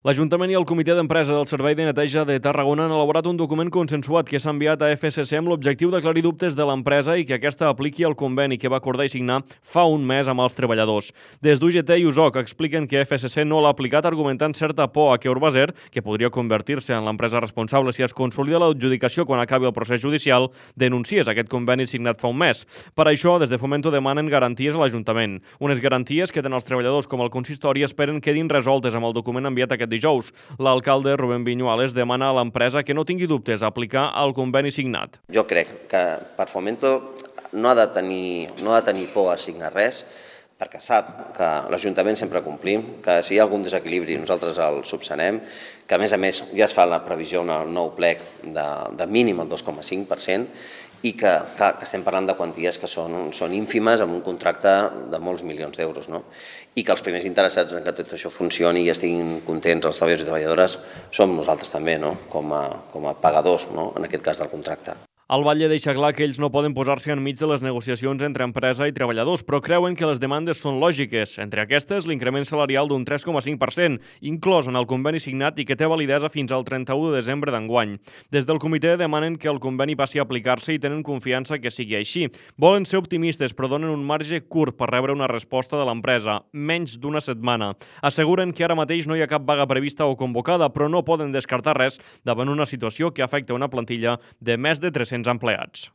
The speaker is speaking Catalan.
L'Ajuntament i el Comitè d'Empresa del Servei de Neteja de Tarragona han elaborat un document consensuat que s'ha enviat a FSC amb l'objectiu d'aclarir dubtes de l'empresa i que aquesta apliqui el conveni que va acordar i signar fa un mes amb els treballadors. Des d'UGT i USOC expliquen que FSC no l'ha aplicat argumentant certa por a que Urbaser, que podria convertir-se en l'empresa responsable si es consolida l'adjudicació quan acabi el procés judicial, denunciés aquest conveni signat fa un mes. Per això, des de Fomento demanen garanties a l'Ajuntament. Unes garanties que tant els treballadors com el consistori esperen quedin resoltes amb el document enviat aquest dijous. L'alcalde Rubén Viñuales demana a l'empresa que no tingui dubtes a aplicar el conveni signat. Jo crec que per Fomento no ha de tenir por a signar res, perquè sap que l'Ajuntament sempre complim, que si hi ha algun desequilibri nosaltres el subsanem, que a més ja es fa la previsió en el nou plec de mínim el 2,5%, i que estem parlant de quanties que són ínfimes amb un contracte de molts milions d'euros, i que els primers interessats en que tot això funcioni i estiguin contents els treballadors i treballadores som nosaltres també, com a pagadors, en aquest cas del contracte. El Batlle deixa clar que ells no poden posar-se enmig de les negociacions entre empresa i treballadors, però creuen que les demandes són lògiques. Entre aquestes, l'increment salarial d'un 3,5%, inclòs en el conveni signat i que té validesa fins al 31 de desembre d'enguany. Des del comitè demanen que el conveni passi a aplicar-se i tenen confiança que sigui així. Volen ser optimistes, però donen un marge curt per rebre una resposta de l'empresa, menys d'una setmana. Asseguren que ara mateix no hi ha cap vaga prevista o convocada, però no poden descartar res davant una situació que afecta una plantilla de més de 300 empleats.